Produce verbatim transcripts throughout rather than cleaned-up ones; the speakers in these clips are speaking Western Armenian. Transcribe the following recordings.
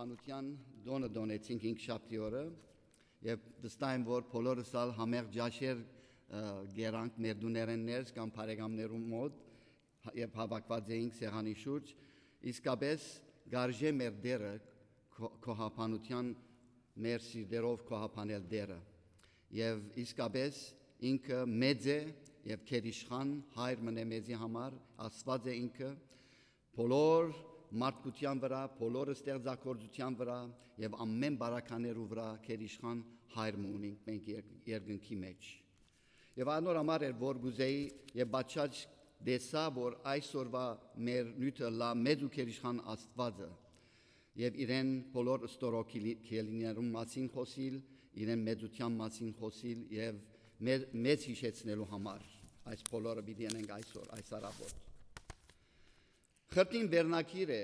Անութեան տօնը տօնեցինք հինգշաբթի օրը եւ վստահ եմ, որ բոլորս ալ համեղ ճաշեր, ը, կերանք մեր տուներէն ներս կամ բարեկամներու մօտ եւ հավաքուած էինք սեղանի շուրջ։ Իսկապէս, կարժէ մեր Տէրը քո-, քոհաբանութեան, մեր սիրտերով քոհաբանել Տէրը։ Եւ իսկապէս ինքը մեծ է եւ գերիշխան հայր մըն է մեզի համար, Աստուած է ինքը, բոլոր մարդկութեան վրայ, բոլոր ստեղծագործութեան վրայ եւ ամէն բարականերու վրայ գերիշխան հայր մը ունենք մենք եր-, երկնքի մէջ։ Եւ անոր համար էր, որ կուզեի եւ պատշաճ տեսայ, որ այսօրուայ մեր նիւթը ըլլայ մեծ ու գերիշխան Աստուածը եւ իրեն բոլոր ստորոգիլի-, քելիներուն մասին խօսիլ, իրեն մեծութեան մասին խօսիլ եւ մե-, մեզ յիշեցնելու համար այս բոլորը պիտի ընենք այսօր, այս առավոտ։ Խրտին վերնագիր է,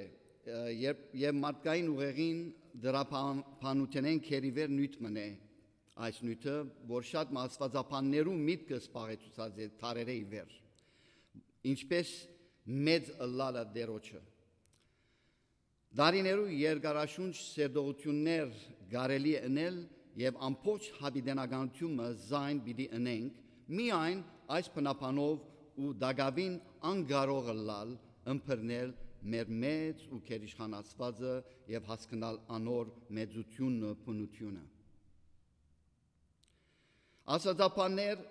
ը, երբ, եւ մարդկային ուղեղին դրաբանութենէն գերիվեր նիւթ մըն է այս նիւթը, որ շատ մը աստուածաբաններու միտքը սպաղեցուցած է դարերէ ի վեր, ինչպէս մեծ ըլլալը Տէրոջը։ Դարիներու երկարաշունչ սերտողութիւններ կարելի է ընել եւ ամբողջ յաւիտենականութիւնը զայն պիտի ընենք, միայն այս բնաբանով ու տակաւին անկարող ըլլալ ըմբռնել մեր մեծ ու գերիշխան Աստուածը եւ հասկնալ անոր մեծութիւնը, բնութիւնը։ Աստուածաբաններ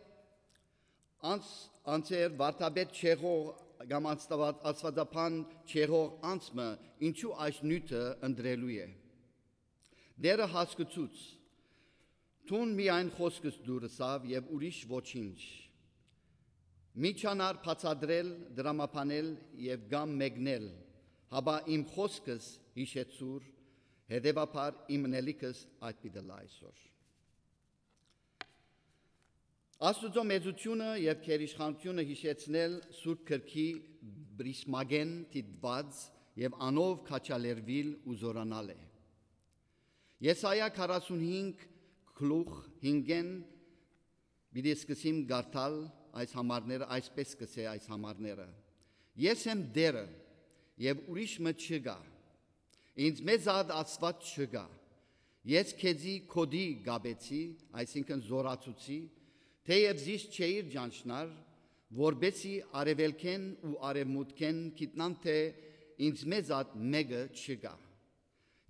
անց-, անցեր վարդապետ չեղող կամ անստավատ-, աստուածաբան չեղող անձ մը ինչու այս նիւթը ընտրելու է։ Տէրը հասկցուց. «Դուն միայն խօսքս դուր ըսաւ եւ ուրիշ ոչինչ։ Մի չանար բացատրել, դրամաբանել եւ կամ մեկնել, հապա իմ խօսքս յիշեցուր, հետեւաբար իմ ընելիքս այդ պիտի ըլլայ այսօր»։ Աստուծոյ մեծութիւնը եւ գերիշխանութիւնը յիշեցնել Սուրբ Գրքի պրիսմակէն դիտուած եւ անով քաջալերուիլ ու զօրանալ է։ Եսայիա քառասունհինգ գլուխ հինգէն պիտի սկսիմ կարդալ այս համարները, այսպես կ'ըսէ այս համարները. «Ես եմ Տէրը, եւ ուրիշ մը չկայ։ Ինձմէ զատ Աստուած չկայ։ Ես քեզի գօտի կապեցի», այսինքն՝ զօրացուցի, թէեւ զիս չէիր ճանչնար, որպէսզի արեւելքէն ու արեւմուտքէն գիտնան թէ ինձմէ զատ մէկը չկայ։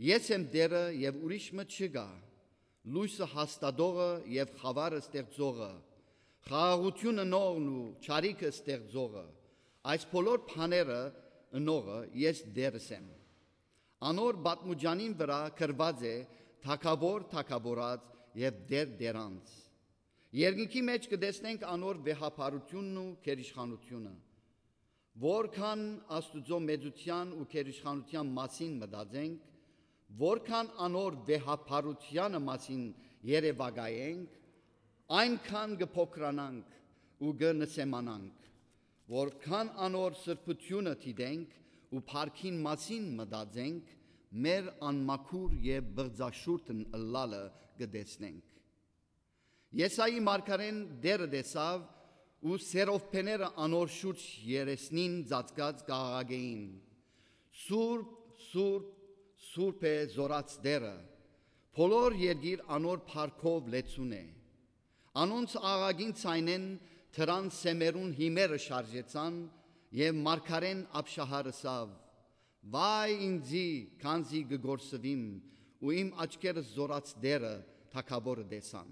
Ես եմ Տէրը եւ ուրիշ մը չկայ, լոյսը հաստատողը եւ խաւարը ստեղծողը, խաղաղութիւն ընողն ու չարիքը ստեղծողը, այս բոլոր բաները ընողը ես Տէրս եմ։ Անոր պատմուճանին վրայ գրուած է թագաւոր թագաւորաց եւ Տէր Տէրանց։ Երկնքի մէջ կը տեսնենք անոր վեհափառութիւնն ու գերիշխանութիւնը։ Որքան Աստուծոյ մեծութեան ու գերիշխանութեան մասին մտածենք, որքան անոր վեհափառութեանը մասին երեւակայենք, այնքան կը փոքրանանք ու կը նսեմանանք, որքան անոր սրբութիւնը դիտենք ու փառքին մասին մտածենք, մեր անմաքուր եւ բղծաշուրթն ըլլալը կը տեսնենք։ Եսայի մարգարէն Տէրը տեսաւ ու սերովբեները անոր շուրջ երեսնին ծածկած կ'աղաղակէին. «Սուրբ, սուրբ, սուրբ է Զօրաց Տէրը, բոլոր երկիր անոր փառքով լեցուն է»։ Անոնց աղաղակին ձայնէն թրան սեմերուն հիմերը շարժեցան եւ մարգարէն Աբշահար ըսաւ. «Վայ ինձի, քանզի կը կորսուիմ ու իմ աչքերս Զօրաց Տէրը թագաւորը տեսան»։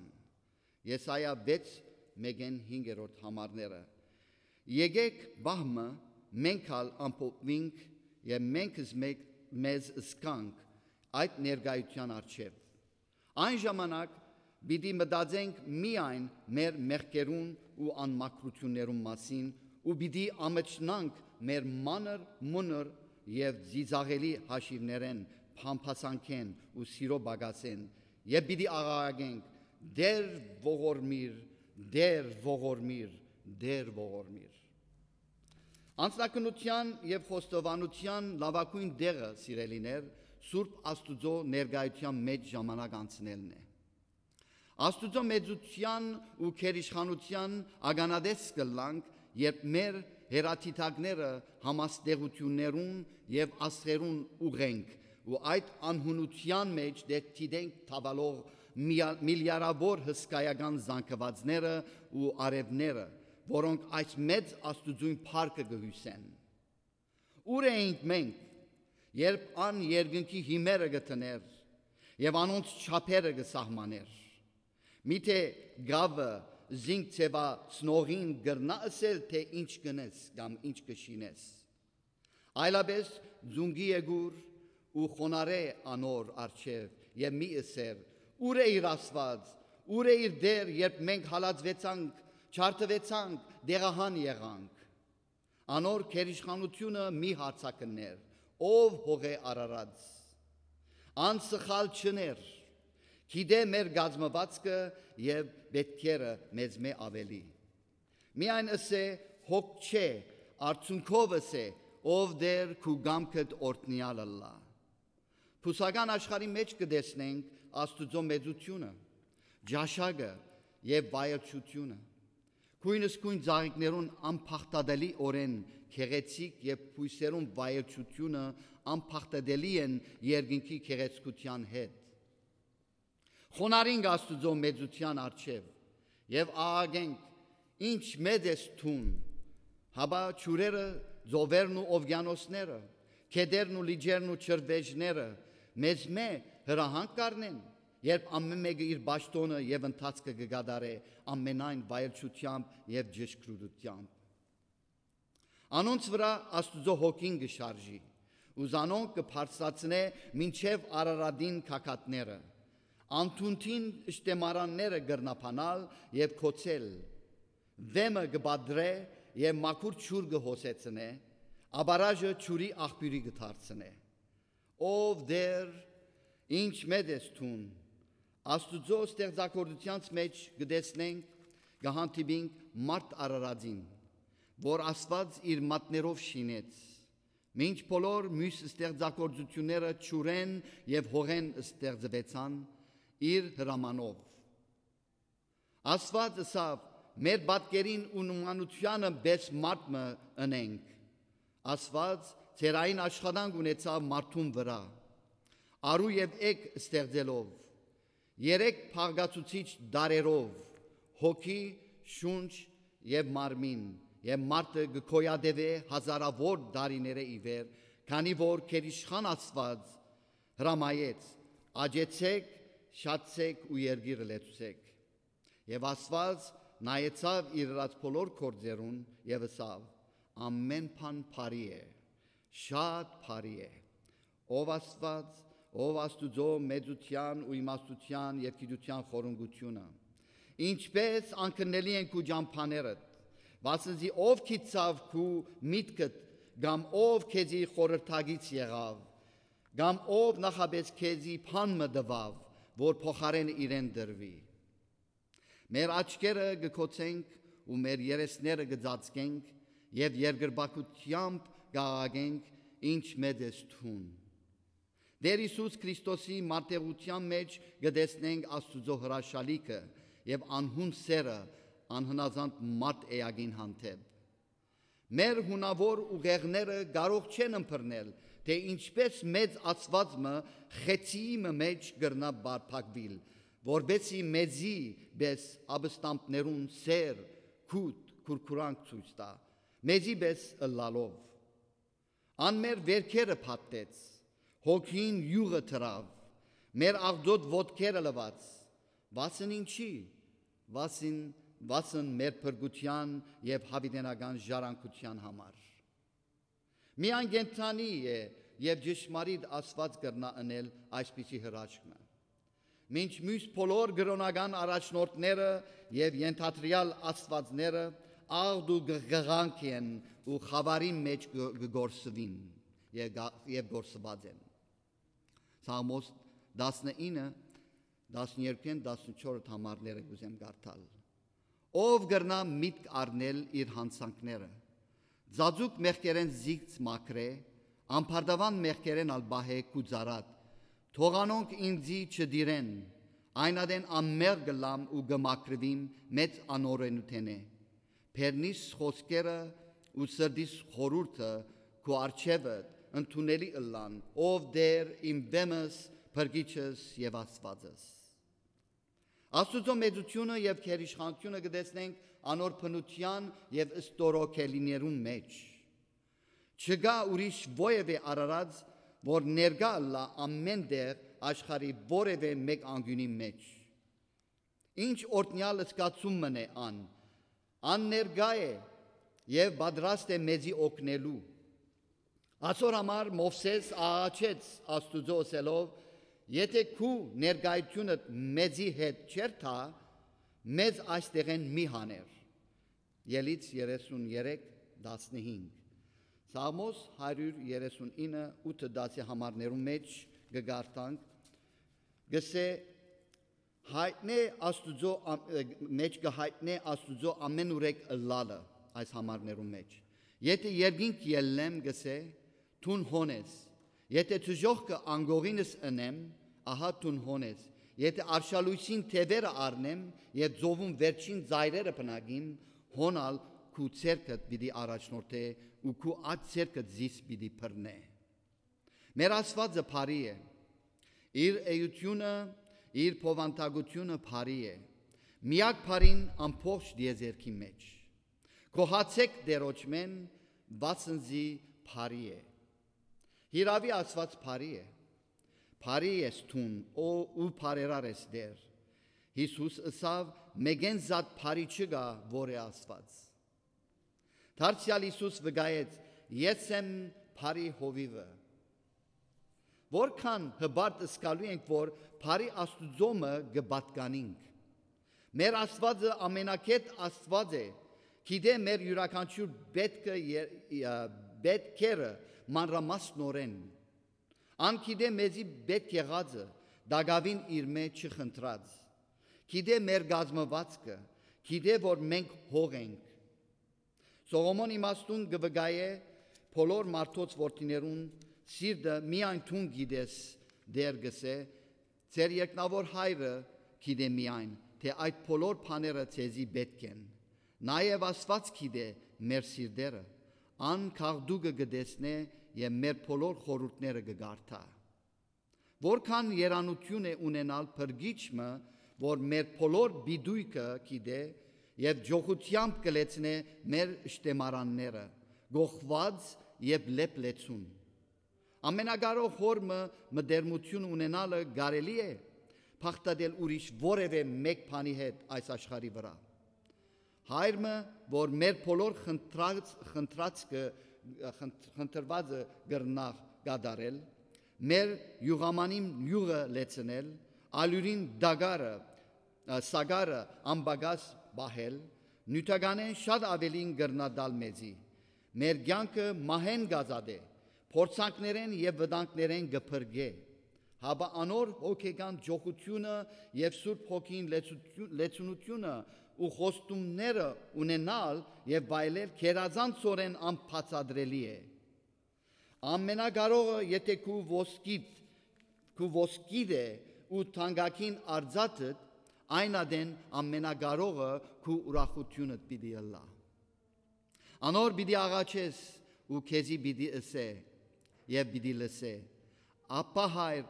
Եսայիա վեց, մէկէն հինգերորդ համարները։ Եկէք պահ մը մենք ալ ամփոփուինք եւ մենք ըզ մե-, մեզ զգանք այդ ներկայութեան առջեւ։ Այն ժամանակ պիտի մտածենք միայն մեր մեղքերուն ու անմաքրութիւններուն մասին ու պիտի ամչնանք մեր մանր, մունր եւ ծիծաղելի հաշիւներէն, փամփասանքէն ու սիրո պակասէն եւ պիտի աղաղակենք. «Տէր ողորմիր, Տէր ողորմիր, Տէր ողորմիր»։ Անձնակնության եւ խոստովանութեան լաւագոյն տեղը, սիրելիներ, Սուրբ Աստուծոյ ներկայութեան մէջ ժամանակ անցնելն է։ Աստուծոյ մեծութեան ու գերիշխանութեան ականատես կ'ըլլանք, երբ մեր հեռադիտակները համաստեղութիւններուն եւ աստղերուն ուղղենք Ու այդ անհունութեան մէջ դե դիտենք թաւալող միա-, միլիարաւոր հսկայական զանգուածները ու արեւները, որոնք այս մեծ Աստուծոյն փառքը կը հիւսեն։ Ո՞ւր էինք մենք, երբ ան երկնքի հիմերը կը դներ եւ անոնց չափերը կը սահմանէր։ Միթէ գաւը զինք ձեւացնողին կրնա ըսել, թէ ինչ կ'ընես կամ ինչ կը շինես։ Այլապէս զունկի եկուր ու խոնարհէ անոր առջեւ եւ մի ըսեր. «Ո՞ւր է իր Աստուած, ո՞ւր է իր Տէր, երբ մենք հալածուեցանք, չարդուեցանք, դեղահան եղանք»։ Անոր գերիշխանութիւնը մի հարցակններ, ով հողէ արարած։ Ան սխալ չըներ, գիտէ մեր կազմուածքը եւ պէտքերը մեզմէ աւելի։ Միայն ըսէ, հոգ չէ, արդիւնքով ըսէ, ով Տէր քու կամքդ օրհնեալ ըլլայ։ Բուսական աշխարհի մէջ կը տեսնենք Աստուծոյ մեծութիւնը, ճաշակը եւ վայելչութիւնը։ Գոյնս գոյն ծաղիկներուն անբաղդատելիօրէն գեղեցիկ եւ բոյսերուն վայելչութիւնը անբաղդատելի են երկնքի գեղեցկութեան հետ։ Խոնարհինք Աստուծոյ մեծութեան առջեւ եւ աղաղենք. «Ինչ մեծ ես դուն»։ Հապա ջուրերը, ծովերն ու ովկիանոսները, գետերն ու լիճերն ու ջրվեժները մեզմէ հրահանգ կ'առնեն, երբ ամէն մէկը իր պաշտօնը եւ ընթացքը կը կատարէ ամենայն վայելչութեամբ եւ ճշգրտութեամբ։ Անոնց վրայ Աստուծոյ հոգին կը շարժի ու զանոնք կը բարձրացնէ մինչեւ Արարատին գագաթները։ Անդունդին շտեմարանները կրնաբանալ եւ գոցել։ Վէմը կը պատռէ եւ մաքուր ջուր կը հոսեցնէ, աբարաժը ջուրի աղբիւրի կը դարձնէ։ Ով Տէր, ինչ մեծ ես դուն։ Աստուծոյ ստեղծագործութեանց մէջ կը տեսնենք, կը հանդիպինք մարդ արարածին, որ Աստուած իր մատներով շինեց, մինչ բոլոր միւս ստեղծագործութիւնները ջուրէն եւ հողէն ստեղծուեցան իր հրամանով։ Աստուած ըսաւ. «Մեր պատկերին ու նմանութեանը պէս մարդ մը ընենք»։ Աստուած ծերային աշխատանք ունեցաւ մարդուն վրայ, արու եւ էգ ստեղծելով, երեք բաղկացուցիչ տարրերով՝ հոգի, շունչ եւ մարմին, եւ մարդը կը գոյատեւէ հազարաւոր տարիներէ ի վեր, քանի որ գերիշխան Աստուած հրամայեց. «Աճեցէք, շատցէք ու երկիրը լեցուցէք»։ Եւ Աստուած նայեցաւ իր ըրած բոլոր գործերուն եւ ըսաւ. «Ամէն բան բարի է, շատ բարի է»։ Ով Աստուած, ով Աստուծոյ մեծութեան ու իմաստութեան եւ գիտութեան խորունկութիւնը, ինչպէս անկրնելի են քու ճամբաներդ, վասն զի ով գիտցաւ քու միտքդ, կամ ով քեզի խորհրդակից եղաւ, կամ ով նախապէս քեզի բան մը տուաւ, որ փոխարէնը իրեն տրուի։ Մեր աչքերը կը գոցենք ու մեր երեսները կը ծածկենք եւ երկրպագութեամբ կ'աղաղենք. «Ինչ մեծ ես դուն»։ Տէր Յիսուս Քրիստոսի մարտերութեան մէջ կը տեսնենք Աստուծոյ հրաշալիքը եւ անհուն սէրը անհնազանդ մարդ էակին հանդէպ։ Մեր հունաւոր ուղեղները կարող չեն ըմբռնել, թէ ինչպէս մեծ Աստուած մը խեցիի մը մէջ կրնայ պարփակուիլ, որպէս զի մեզի պէս ապստամբներուն սէր, գութ, քուրքուրանք ցոյց տայ, մեզի պէս ըլլալով։ Ան մեր վէրքերը փաթթեց, հոգին իւղը դրաւ, մեր աղտոտ ոտքերը լուաց, վասն ինչի, վասն, վասն մեր փրկութեան եւ յաւիտենական ժառանգութեան համար։ Միայն կենդանի է եւ ճշմարիտ Աստուած կրնայ ընել այսպիսի հրաշք մը։ Մինչ միւս բոլոր կրօնական առաջնորդները եւ ենթադրեալ աստուածները աղտ ու գ-, գղանք են ու խաւարին մէջ կը, կը գործուին եւ գա-, եւ գործուած են։ Սաղմոս տասնինը, տասներկուէն, տասնչորս համարները կ'ուզեմ կարդալ։ Ո՞վ կրնայ միտք առնել իր յանցանքները։ Ծածուկ մեղքերէն զինք մաքրէ, ամբարտաւան մեղքերէն ալ պահէ քու ծառադ։ Թող անոնք ինծի չտիրեն, այն ատեն անմեղ կ'ըլլամ ու կը մաքրուիմ մեծ անօրէնութենէ։ Բերնիս խօսքերը ու սրտիս խորհուրդը քու առջեւդ ընդունելի ըլլան, ով Տէր իմ վեմս, փրկիչս եւ Աստուածս։ Աստուծոյ մեծութիւնը եւ գերիշխանութիւնը կը տեսնենք անոր բնութեան եւ ստորոգելիներուն մէջ։ Չկայ ուրիշ որեւէ արարած, որ ներկայ ըլլայ ամէն տեղ աշխարհի որեւէ մէկ անկիւնի մէջ։ Ինչ օրհնեալ զգացում մըն է ան։ Ան ներկայ է եւ պատրաստ է մեզի օգնելու։ Ասոր համար Մովսէս աղաչեց Աստուծոյ ըսելով. «Եթէ քու ներկայութիւնդ մեզի հետ չէր թա, մեզ այստեղէն մի հաներ»։ Ելից երեսուն երեք, տասնհինգ։ Սաղմոս հարիւր երեսուն ինը, ութը, տասը համարներուն մէջ կը կարդանք, կսէ. «Յայտնէ Աստուծոյ ամ-, ը, մէջ կը յայտնէ Աստուծոյ ամէնուրեք ըլլալը» այս համարներուն մէջ։ «Եթէ երկինք ելլեմ», կսէ, «դուն հոն ես»։ «Եթէ դժոխքը անկողինս ընեմ, ահա դուն հոն ես»։ «Եթէ արշալոյսին թեւերը առնեմ եւ ծովուն վերջին ծայրերը բնակիմ, հոն ալ քու ձեռքդ պիտի առաջնորդէ ու քու աջ ձեռքդ զիս պիտի բռնէ»։ Մեր Աստուածը բարի է։ Իր էութիւնը, իր բովանդակութիւնը բարի է։ Միակ բարին ամբողջ տիեզերքի մէջ։ Գոհացէք Տէրոջմէն, վասն զի բարի է։ Հիրաւի Աստուած բարի է։ Բարի ես դուն, ո, ու բարերար ես Տէր։ Յիսուս ըսաւ. «Մէկէն զատ բարի չկայ, որ է Աստուած»։ Դարձեալ Յիսուս վկայեց. «Ես եմ բարի հովիւը»։ Որքան հպարտ զգալու ենք, որ բարի Աստուծոյ մը կը պատկանինք։ Մեր Աստուածը ամենագետ Աստուած է, գիտէ մեր իւրաքանչիւր պէտքը ե-, ը, պէտքերը մանրամասնօրէն։ Ան գիտէ մեզի պէտք եղածը, տակաւին իրմէ չխնդրած։ Գիտէ մեր կազմուածքը, գիտէ որ մենք հող ենք։ Սողոմոն իմաստուն կը վկայէ բոլոր մարդոց որդիներուն սիրտը, միայն դուն գիտես, Տէր, կսէ, ձեր երկնաւոր Հայրը գիտէ միայն, թէ այդ բոլոր բաները ձեզի պէտք են։ Նաեւ Աստուած գիտէ մեր սիրտերը, ան գաղտուկը կը տեսնէ եւ մեր բոլոր խորհուրդները կը կարդայ։ Որքան երանութիւն է ունենալ փրկիչ մը, որ մեր բոլոր պիտոյքը գիտէ եւ ճոխութեամբ կը լեցնէ մեր շտեմարանները, գողուած եւ լեփլեցուն։ Ամենակարող Հօր մը մտերմութիւն ունենալը կարելի է բաղդատել ուրիշ որեւէ մէկ բանի հետ այս աշխարհի վրայ։ Հայր մը, որ մեր բոլոր խնդրած-, խնդրածքը, խնդրվածը կրնա կատարել, մեր յուղամանին յուղը լեցնել, ալիւրին դագարը, ը, սագարը անպակաս պահել, նիւթականէն շատ աւելին կրնա տալ մեզի։ Մեր կեանքը մահէն կ'ազատէ, փորձանքներէն եւ վտանգներէն կը փրկէ, հապա անոր հոգեկան ճոխութիւնը եւ Սուրբ Հոգին լեցութիւն-, լեցունութիւնը ու խոստումները ունենալ եւ վայելել գերազանցօրէն անբացատրելի է։ Ամենակարողը, եթէ քու ոսկիդ, քու ոսկիդ է ու թանկագին արծաթդ, այն ատեն Ամենակարողը քու ուրախութիւնդ պիտի ըլլայ։ Անոր պիտի աղաչես ու քեզի պիտի ըսէ եւ պիտի լսէ։ Աբա Հայր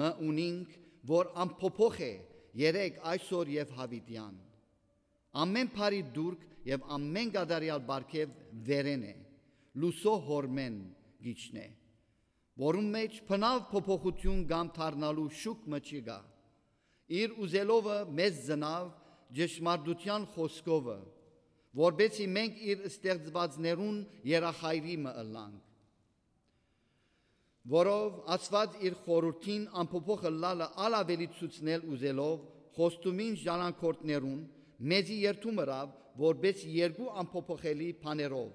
մը ունինք, որ անփոփոխ է, երեկ, այսօր եւ յաւիտեան։ Ամէն բարի տուրք եւ ամէն կատարեալ պարգեւ վերէն է, լուսոյ Հօրմէն կ'իջնէ, որուն մէջ բնաւ փոփոխութիւն կամ դառնալու շուք մը չի գայ։ Իր ուզելովը մեզ ծնաւ ճշմարտութեան խօսքովը, որպէսզի մենք իր ստեղծուածներուն երախայրի մը ըլլանք, որով Աստուած իր խորհուրդին անփոփոխ ըլլալը ալ աւելի ցուցնել ուզելով, խոստումին ժառանգորդներուն մեզի երդում ըրաւ, որպէս երկու անփոփոխելի բաներով,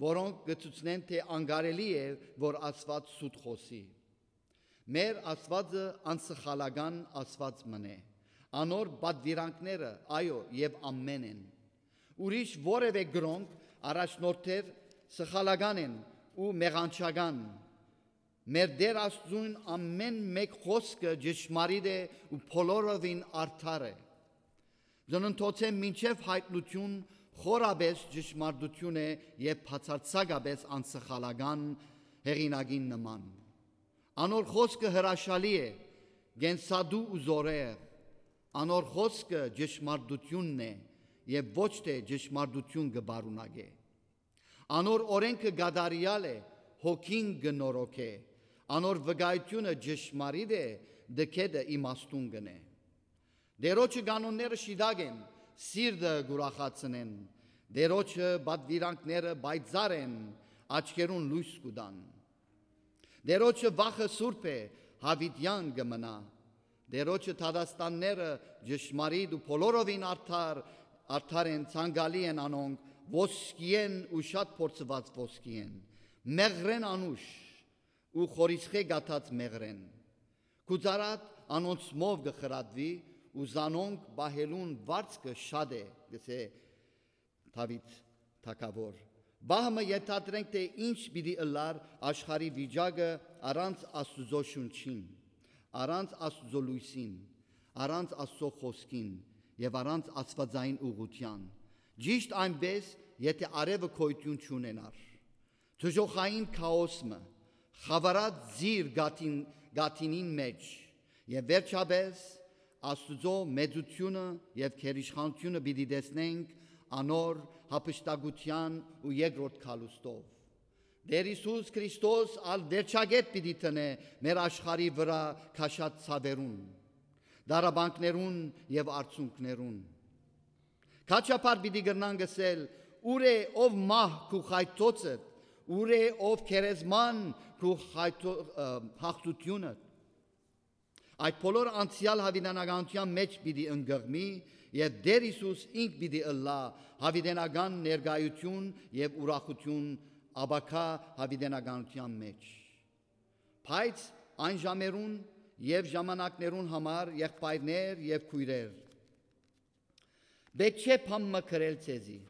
որոնք կը ցուցնեն, թէ անկարելի է, որ Աստուած սուտ խօսի։ Մեր Աստուածը անսխալական Աստուած մըն է։ Անոր պատուիրանքները, այո, եւ ամէն են։ Ուրիշ որեւէ կրոնք, առաջնորդներ սխալական են ու մեղանչական։ Մեր Տէր Աստուծոյն ամէն մէկ խօսքը ճշմարիտ է ու բոլորովին արդար է։ Ծննդոցէն մինչեւ յայտնութիւն խորապէս ճշմարտութիւն է եւ բացարձակապէս անսխալական, հեղինակին նման։ Անոր խօսքը հրաշալի է, կենսատու ու զօրեղ։ Անոր խօսքը ճշմարտութիւնն է եւ ոչ թէ ճշմարտութիւն կը պարունակէ։ Անոր օրէնքը կատարեալ է, հոգին կը նորոգէ։ Անոր վկայութիւնը ճշմարիտ է, դքեդը իմաստուն կ'ընէ։ Տէրոջը կանոնները շիտակ են, սիրտը կ'ուրախացնեն։ Տէրոջը պատուիրանքները պայծառ են, աչքերուն լոյս կու տան։ Տէրոջը վախը սուրբ է, յաւիտեան կը մնայ։ Տէրոջը դատաստանները ճշմարիտ ու բոլորովին արդար, արդար են, ցանկալի են անոնք, ոսկիէն ու շատ փորձուած ոսկիէն, մեղրէն անուշ ու խորիսխէ կաթած մեղրէն։ Գուցարադ անոնցմով կը խրատուի ու զանոնք պահելուն վարձքը շատ է, կ'ըսէ Դաւիթ թագաւոր։ Պահ մը ենթադրենք, թէ ինչ պիտի ըլլար աշխարհի վիճակը առանց Աստուծոյ շունչին, առանց Աստուծոյ լոյսին, առանց Աստուծոյ խօսքին եւ առանց աստուածային ուղղութեան, ճիշտ այնպէս, եթէ արեւը գոյութիւն չունենար։ Դժոխային քաոս մը, խաւարած զիր գաթին, գաթինին մէջ, եւ վերջապէս Աստուծոյ մեծութիւնը եւ գերիշխանութիւնը պիտի տեսնենք անոր յափշտակութեան ու երկրորդ գալուստով։ Տէր Յիսուս Քրիստոս ալ վերջակետ պիտի դնէ մեր աշխարհի վրայ քաշած ցաւերուն, տառապանքներուն եւ արցունքներուն։ Քաչափար պիտի կրնանք ըսել. «Ո՞ւր է, ով մահ, քու խայթոցդ, ո՞ւր է, ով գերեզման, քու խայթո-, ը, հաղթութիւնդ»։ Այդ բոլոր անցեալ յաւիտենականութեան մէջ պիտի ընկղմի եւ Տէր Յիսուս ինք պիտի ըլլայ յաւիտենական ներկայութիւն եւ ուրախութիւն ապագայ յաւիտենականութեան մէջ։ Բայց այն ժամերուն եւ ժամանակներուն համար, եղբայրներ եւ քոյրեր, պէտք չէ բան մը գրել ձեզի,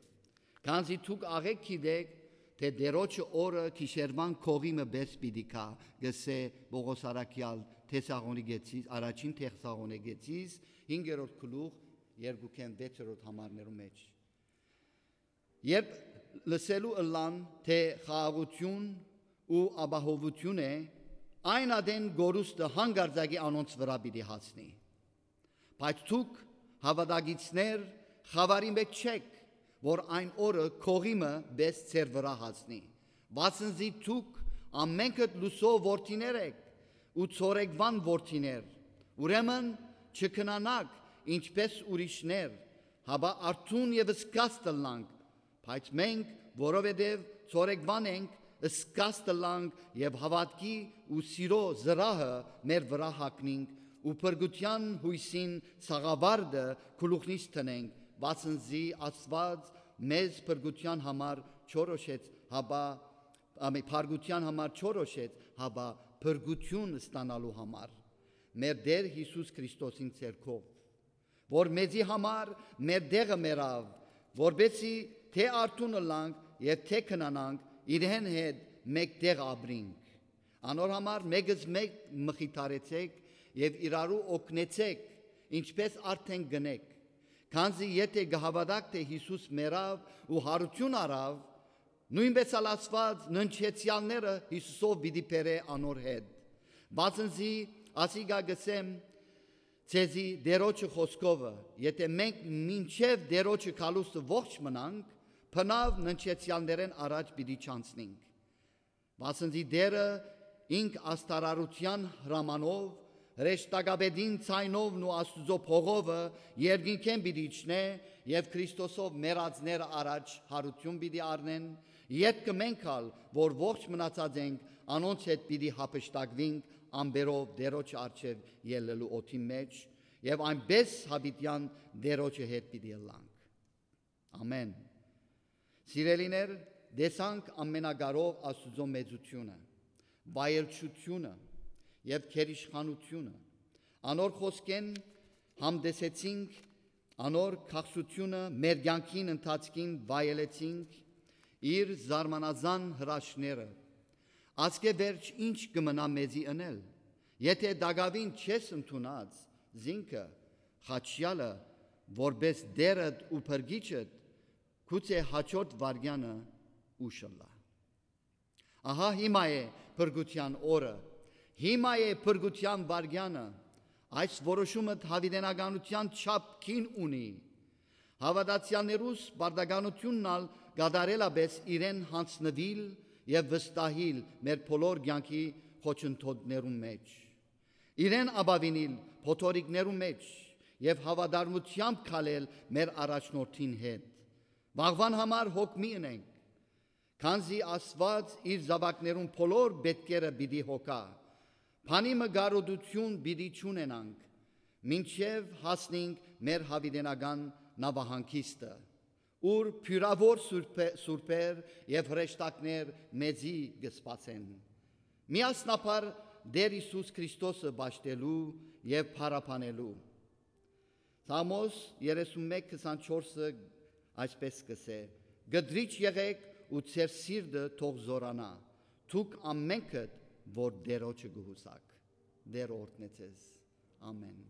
քանզի դուք աղէկ գիտէք, թէ Տէրոջը օրը գիշերուան կողի մը պէս պիտի գայ, կ'ըսէ Պօղոս առաքեալ Թեսաղոնիկեցիս, առաջին Թեսաղոնիկեցիս, հինգերորդ գլուխ, երկուքէն վեցերորդ համարներու մէջ։ Երբ լսելու ըլլան, թէ խաղաղութիւն ու ապահովութիւն է, այն ատեն կորուստը հանկարծակի անոնց վրայ պիտի հասնի։ Բայց դուք, հաւատակիցներ, խաւարի մէջ չէք, որ այն օրը կողի մը պէս ձեր վրայ հասնի, վասն զի դուք ամենքդ լուսոյ որդիներ էք ու ցորեկուան որդիներ, ուրեմն չքնանաք, ինչպէս ուրիշներ, հապա արթուն եւ զգաստ ըլլանք, բայց մենք, որովհետեւ ցորեկուան ենք, զգաստ ըլլանք եւ հաւատքի ու սիրո զրահը մեր վրայ հագնինք ու փրկութեան յոյսին սաղավարտը գլուխնից դնենք, վասն զի Աստուած մեզ փրկութեան համար չորոշեց, հապա, ամի, փրկութեան համար չորոշեց, հապա փրկութիւն ստանալու համար, մեր Տէր Յիսուս Քրիստոսին ձեռքով, որ մեզի համար մեր տեղը մեռաւ, որպեսզի թէ արթուն ըլլանք եւ թէ քնանանք, իրեն հետ մէկտեղ ապրինք։ Անոր համար մէկզմէկ մխիթարեցէք եւ իրարու օգնեցէք, ինչպէս արդէն կ'ընէք, քանզի եթէ կը հաւատաք, թէ Յիսուս մեռաւ ու յարութիւն առաւ, նոյնպէս ալ Աստուած ննջեցեալները Յիսուսով պիտի բերէ անոր հետ։ Վասն զի ասիկա կ'ըսեմ ձեզի Տէրոջը խօսքովը, եթէ մենք մինչեւ Տէրոջը գալուստը ողջ մնանք, բնաւ ննջեցեալներէն առաջ պիտի չանցնինք։ Վասն զի Տէրը ինք աստարարութեան հրամանով, հրեշտակապետին ձայնովն ու Աստուծոյ փողովը երկինքէն պիտի իջնէ եւ Քրիստոսով մեռածները առաջ յարութիւն պիտի առնեն, ետքը մենք ալ, որ ողջ մնացած ենք, անոնց հետ պիտի յափշտակուինք ամպերով Տէրոջ առջեւ ելլելու օդին մէջ, եւ այնպէս յաւիտեան Տէրոջը հետ պիտի ըլլանք։ Ամեն։ Սիրելիներ, տեսանք Ամենակարող Աստուծոյ մեծութիւնը, վայելչութիւնը եւ գերիշխանութիւնը։ Անոր խօսքէն համտեսեցինք անոր քաղցրութիւնը, մեր կեանքին ընթացքին վայելեցինք իր զարմանազան հրաշքները։ Ասկէ վերջ ի՞նչ կը մնայ մեզի ընել, եթէ տակաւին չես ընդունած զինքը, խաչեալը, որպէս Տէրդ ու Փրկիչդ, գուցէ հաջորդ վայրկեանը ուշ ըլլայ։ Ահա հիմա է փրկութեան օրը, հիմա է փրկութեան վայրկեանը։ Այս որոշումը յաւիտենականութեան չափ գին ունի։ Հաւատացեալներուս պարտականութիւնն ալ կատարելապէս իրեն յանձնուիլ եւ վստահիլ մեր բոլոր կեանքի խոչընդոտներուն մէջ, իրեն ապաւինել փոթորիկներու մէջ եւ հաւատարմութեամբ քալել մեր առաջնորդին հետ։ Վաղուան համար հոգ մի ընենք, քանզի Աստուած իր զաւակներուն բոլոր պէտքերը պիտի հոգայ։ Բանի մը կարօտութիւն պիտի չունենանք, մինչեւ հասնինք մեր յաւիտենական նաւահանգիստը, ուր բիւրաւոր սուրբե-, սուրբեր եւ հրեշտակներ մեզի կը սպասեն, միասնաբար Տէր Յիսուս Քրիստոսը պաշտելու եւ փառաբանելու։ Սաղմոս երեսուն մէկ քսանչորսը այսպէս կ'ըսէ. «Կտրիճ եղէք ու ձեր սիրտը թող զօրանայ, դուք ամէնքդ որ Տէրոջը կը յուսաք»։ Տէրը օրհնէ ձեզ։ Ամէն։